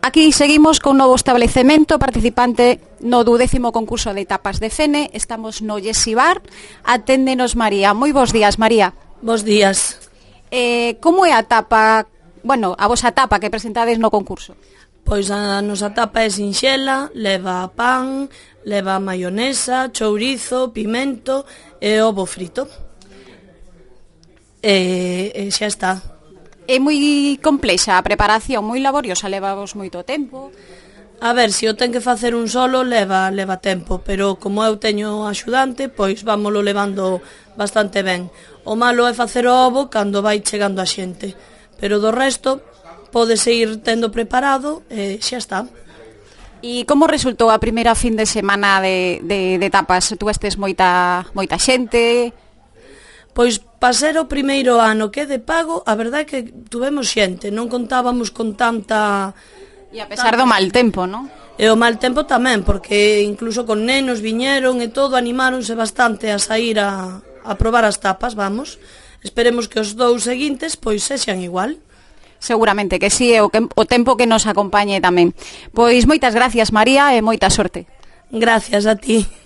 aquí seguimos con un novo establecemento participante no 12º concurso de tapas de Fene. Estamos no Yesibar. Aténdenos María. Moi bons días, María. Bos días. Como é a tapa, bueno, a vosa tapa que presentades no concurso? Pois a nosa tapa é sinxela, leva pan, leva maionesa, chourizo, pimento e ovo frito. E xa está. É moi complexa a preparación, moi laboriosa, levavos moito tempo. A ver, se o ten que facer un solo leva tempo, pero como eu teño axudante, pois vámolo levando bastante ben. O malo é facer o ovo cando vai chegando a xente, pero do resto podes ir tendo preparado e xa está. E como resultou a primeira fin de semana de tapas? Tuvestes moita xente? Pois para ser o primeiro ano que é de pago, a verdade é que tuvemos xente, non contábamos con tanta... E a pesar do mal tempo, non? E o mal tempo tamén, porque incluso con nenos viñeron e todo, animáronse bastante a sair a probar as tapas, vamos. Esperemos que os dous seguintes pois sexan igual. Seguramente que sí, o tempo que nos acompañe tamén. Pois moitas gracias, María, e moita sorte. Gracias a ti.